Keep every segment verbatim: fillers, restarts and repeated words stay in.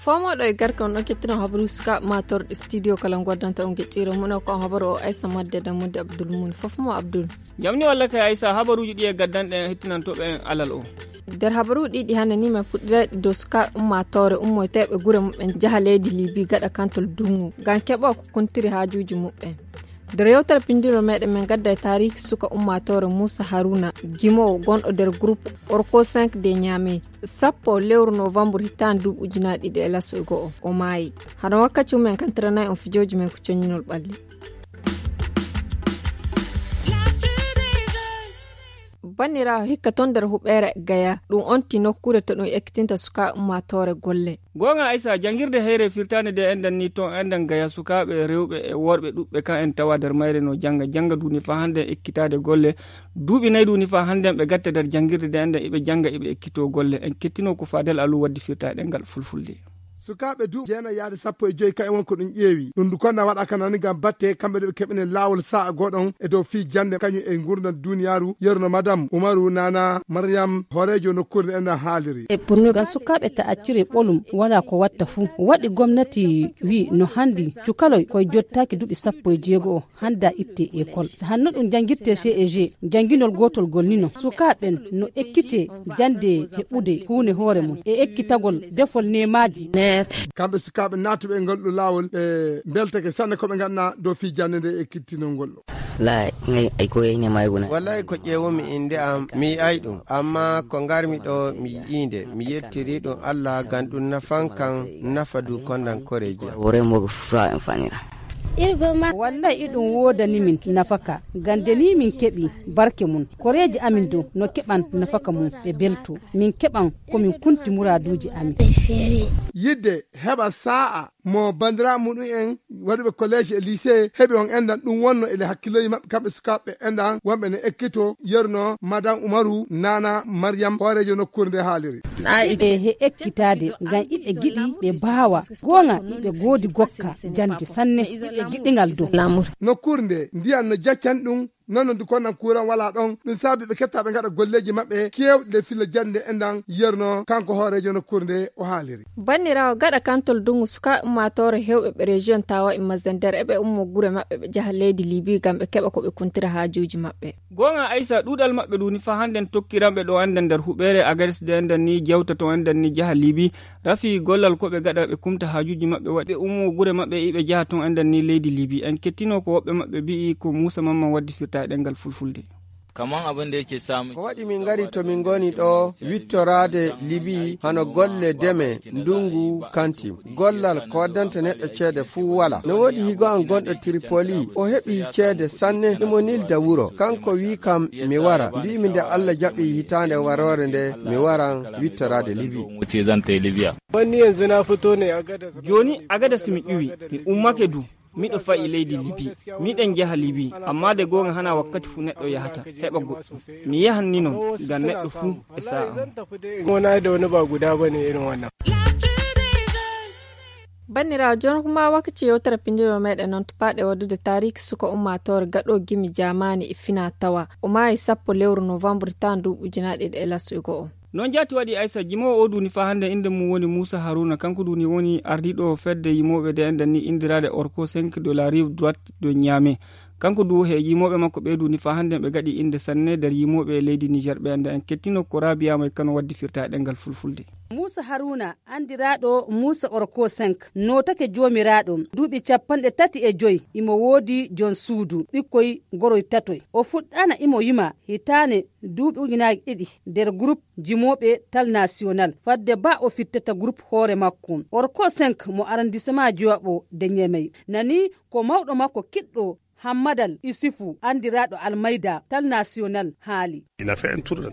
Fomoɗo e garke on ɗon kettino habaru suka matorɗe studio kala goddanta on gecciro mum ko on habaru o aysa madde dammude abdul mum fof mo abdul. Jamni walla kay aysa habaruji ɗi e gaddanɗe en hettinantoɓe en alal o. Nder habaruji ɗiɗi hannde ni min puɗɗirayɗe dow suka ummatore ummoyteɓe gure muɓɓen jaha leydi libi gaɗa kantol dungu ngam keɓa ko kontiri haajuji muɓɓen. Nder yewtere pinndiro meɗen min gadda e taariki suka ummatore moussa haruna gimowo gonɗo nder groupe orko cinq de niamey sappo lewru novembre hittaande duuɓi ujunaaji ɗiɗi e laso e go'o o maayi. Hano wakkati mumen kantiranay on fijooji men ko coññinol ɓalli. Banniraawo hikka ton nder huɓeere gaya ɗum onti nokkuure to ɗum ekkitinta suka ummatore golle. Goonga aysa janngirde heyre firtaande de enɗan ni ton enɗan gaya sukaaɓe rewɓe e worɓe ɗuɓɓe kan en tawa nder mayre no jannga jannga duuni faa hannde ekkitaade golle. Duuɓi nayi duuni faa hannde ɓe gatta nder janngirde de enɗan iɓe jannga iɓe ekkito golle en kettino ko faadel alu waddi firtaade ɗengal fulfulde. Sukaaɓe duuɓi jeenayi yaade sappo e joyi kayen won ko ɗum ƴeewi ɗum ndu konna waɗaka nani ngam batte kamɓe ɗo ɓe keɓinen laawol sa'a goɗon e dow fii jannde kañum e ngurndan duniyaaru yeruno madame umaru nana maryam hooreejo nokkuure nde enɗan haaliri. Ngam sukaaɓe ta accire ɓolum wala ko watta fuu waɗi gomnati wi no handi cukaloy koye jottaaki duuɓi sappo e jeego o hannda itte école. Hanno ɗum janngirte ceg jannginol gootol gol nino sukaaɓen no ekkite jannde heɓude huune hoore mum e ekkitagol defol nemaaji. Kamɓe sukaaɓe naatuɓe e ngol ɗo laawol ɓe mbeltake sanne ko ɓe nganna dow fii jannde nde e kittinol ngol ɗo. Lay ngay ay ko yeyne mayguna. Wallahi ko ƴeewumi innde am mi yi'ay ɗum amma ko ngarmi ɗo mi yi'inde mi yettiri ɗum allah ngam ɗum nafan kan nafa du kondan koreeji am. Wore mogo fura en fanira. Wallay iɗum woodani min nafaka ngam nde ni min keɓi barke mum koreeji amin dow no keɓan nafaka mum ɓe belto min keɓan ko min kunti muraaduuji amin. Yidde heɓa saa'a mo banndiraaɓe muɗum en waɗuɓe kolleeji e lycée heɓi on enɗan ɗum wonno ele hakkillooji maɓɓe kamɓe sukaaɓe enɗan wonɓe ne ekkito yeruno madame umaru nana maryam hooreejo nokkuure nde haaliri. E he ekkitaade ngam iɓe giɗi ɓe mbaawa goonga iɓe ngoodi gokka jannde sanne iɓe giɗingal dow. Nokkuure nde ndiyan no jaccan ɗum. Noon no ndu konnan kuuran walaa ɗoon ɗum saabi ɓe kettaa ɓe ngaɗa golleeji maɓɓe keewɗi nde filla jannde enɗan yerno kanko hooreejo nokkuure nde o haaliri. Banniraawo gaɗa kantol duŋu sukaaɓe ummaatoore heewɓe ɓe rejiyon tawa e mazender eɓe ummo gure maɓɓe ɓe njaha leydi libi ngam ɓe keɓa ko ɓe kuntira haajuuji maɓɓe. Goonga aysa ɗuuɗal maɓɓe ɗuuni faa hannden tokkiranɓe ɗo enɗan nder huɓeere agares de enɗan ni jawta to enɗan ni njaha libi. Rafi gollal ko ɓe gaɗa ɓe kumta haajuuji maɓɓe waɗi ɓe ummo gure maɓɓe iɓe njaha ton enɗan ni leydi libi en kettino ko woɓɓe maɓɓe mbi'i ko muusa mamman waddi firta e ɗemngal fulfulde. Kaman abin da yake samu ko waɗi min ngari to min ngoni ɗo wittoraade libi hano golle deme ndungu kanti gollal ko waddanta neɗɗo ceede fuu wala no woodi higo an gonɗo tripoli o heɓi ceede sanne imo nilda wuro kanko wi kam mi wara mbi'imi nde allah jaɓi hitaande waroore nde mi waran wittoraade libi. Jooni agadas mi ƴuwi mi ummake du miɗo fa'i leydi libi miɗen njaha libi amma de goonga hana wakkati fuu neɗɗo yahata heɓa goɗɗum mi yahan ni non ngam neɗɗo fuu e sa'a. Banniraawo jooni kuma wakkati yewtere pinndiro meɗen noon tupaaɗe waɗude taariki suka ummaatoore gaɗo gimi jaamaani e fina tawa o maayi sappo lewru novembre tan duuɓi ujunaaɗe ɗiɗi e laso e go'o. Noon jaati waɗi aysa jimoowo o duuni faa hannde innde mum woni muusa haruna kanko duuni woni ardiiɗo fedde yimooɓe de enɗan ni inndiraade orko cinq de la rive droite de niame. Kanko du he yimooɓe makko ɓe duuni faa hannde ɓe gaɗi innde sanne nder yimooɓe leydi niger ɓe enɗan en kettino ko rabiyaama e kano waddi firta e ɗemngal fulfulde. Muusa haruna anndiraaɗo muusa orko cinq nootake joomiraaɗo duuɓi capanɗe tati e joy imo woodi joom suudu ɓikkoy goroy tatoy o fuɗɗaana imo yima hitaane duuɓi ujunaaji ɗiɗi nder groupe jimooɓe tal national fadde ba o fittata groupe hoore makko orko cinq mo arrondissement jowaɓo de ñemey nani ko mawɗo makko kiɗɗo. Hammadal Isufu, anndiraaɗo Almayda, Tal National, haali.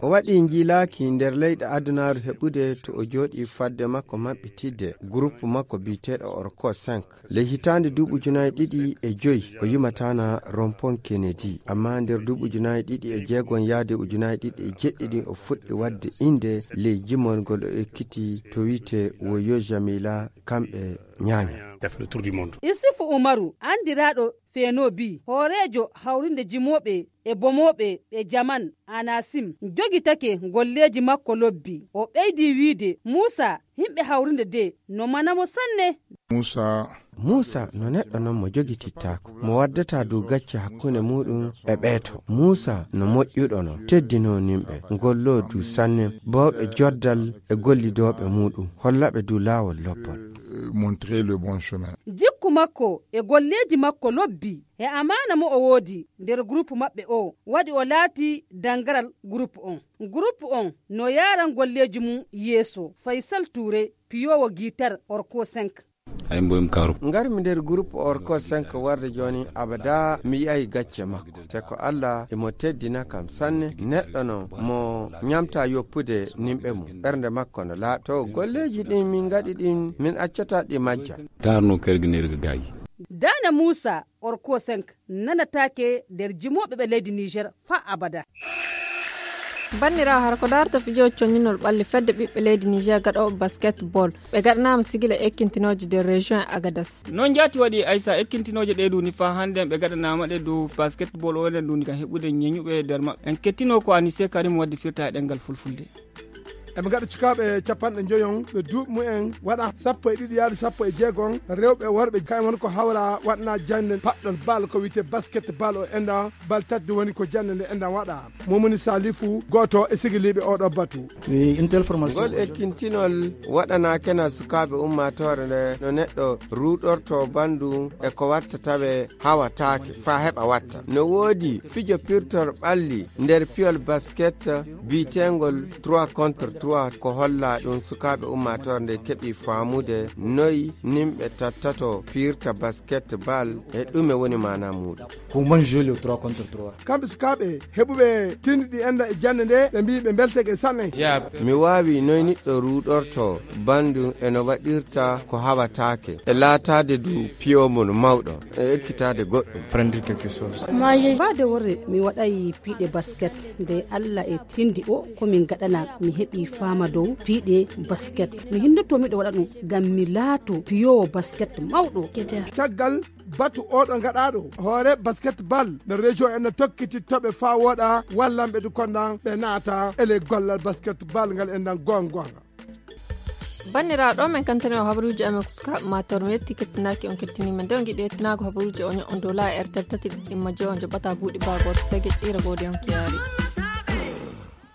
O waɗi njiilaaki nder leyɗe adunaaru heɓude to o jooɗi fadde makko maɓɓitidde groupe makko biyeteeɗo Orko cinq. Ley hitaande duuɓi ujunaaji ɗiɗi e joy, o yumataana Rompon Kennedy. Amma nder duuɓi ujunaaji ɗiɗi e jeegon yaade ujunaaji ɗiɗi e jeɗɗi ɗin, o fuɗɗi waɗde innde ley jimol ngol o ekkiti to wi'etee Woyo Jamila, kamɓe ñaaña. Isufu Umaru, anndiraaɗo Fenobi, hooreejo hawrinde jimooɓe e bomooɓe ɓe Jaman Anasim, jogitake golleeji makko lobbi. O ɓeydi wi'ide, Muusa, yimɓe hawrinde de no mana mo sanne. Muusa. Muusa no neɗɗo non mo jogitittaako, mo waddataa dow gacce hakkunde muuɗum e ɓeeto. Muusa no moƴƴuɗo non, teddinoo nimɓe, golloo du sanne, bawɓe joddal e gollidooɓe muuɗum, hollaɓe du laawol lobbol. Montrer le bon chemin. Jikku makko e golleeji makko lobbi e amaana mo o woodi nder groupe maɓɓe o, waɗi o laati dangaral groupe on. Groupe on no yaaran golleeji mum yeeso. Faysal Tuure, piyoowo guitar Orko cinq. Ay mboy mi kaaru. Ngarmi nder groupe Orko cinq warde jooni, abada mi yi'ay gacce makko. Te ko Allah imo teddina kam sanne, neɗɗo non mo ñamta yoppude nimɓe mum. Ɓernde makko no laaɓi. To golleeji ɗin min ngaɗi ɗin, min accataa ɗi majja. Taarno kergineeri ga gaayi. Daane Muusa, Orko cinq nanataake nder jimooɓe ɓe leydi Niger faa abada. Banndiraawo, hara ko daarta fijo conñinol ɓalli fedde ɓiɓɓe leydi Niger gaɗooɓe basketball, ɓe gaɗanaama sigila ekkintinooje nder région e Agadas. Noon jaati waɗi Aysa, ekkintinooje ɗee duuni faa hannden ɓe gaɗanaama ɗe dow basketball o enen duuni kan heɓude ñeñuɓe nder maɓɓe. En kettinoo ko Anise Karim waddi firta e ɗemngal fulfulde. Eɓe ngaɗa cukaaɓe capanɗe njoyon ɓe duuɓi mumen waɗa sappo e ɗiɗi yaade sappo e jeegon, rewɓe e worɓe, kayen woni ko hawra waɗana jannde paɗɗol bal ko wiyetee basket bal o enda bal tadde woni ko jannde nde enda waɗa. Momoni Salifu, gooto e sigiliiɓe oo ɗoo batu. Ngol ekkintinol waɗanaakena sukaaɓe ummaatoore nde no neɗɗo ruuɗortoo banndu e ko wattata ɓe hawataake faa heɓa watta. No woodi fijo pirtol ɓalli nder piyol basket biyeteengol trois contre trois, ko holla ɗum sukaaɓe ummaatoore nde keɓi faamude noy nimɓe tattato piirta basket bal e ɗume woni maana muuɗum. Comment jouer le trois contre trois? Kamɓe sukaaɓe heɓuɓe tindi ɗi enda e jannde nde, ɓe mbii ɓe mbelteke sanne. Mi waawi noy niɗɗo ruuɗorto bandu e no waɗirta ko hawataake, e laataade du piyo mon mawɗo, e ekkitaade goɗɗum. Prendre quelque chose. Baade worre, mi waɗay piiɗe basket. Nde Allah e tindi o, ko min gaɗana, mi heɓi faama dow piiɗe basket. Mi hinnoto miɗo waɗa ɗum ngam mi laato piyoowo basket mawɗo. Caggal batu oɗo gaɗaaɗo, hoore basket bal nder région en no tokkiti toɓe faa wooɗa, wallanɓe du kondan ɓe naata ele gollal basket bal ngal en dan goonga goonga. Banndiraaɓe, ɗo men kantani o habaruuji amen ko sukaaɓe Mator. Mi yetti kettinaaki on kettiniima. Nde on ngiɗi yettinaago habaruuji o, ño'on dow laayi R T L tati ɗiɗi ɗimma joyo, on joɓata buuɗi baa gooto sege ƴiira goodi on kiyaari.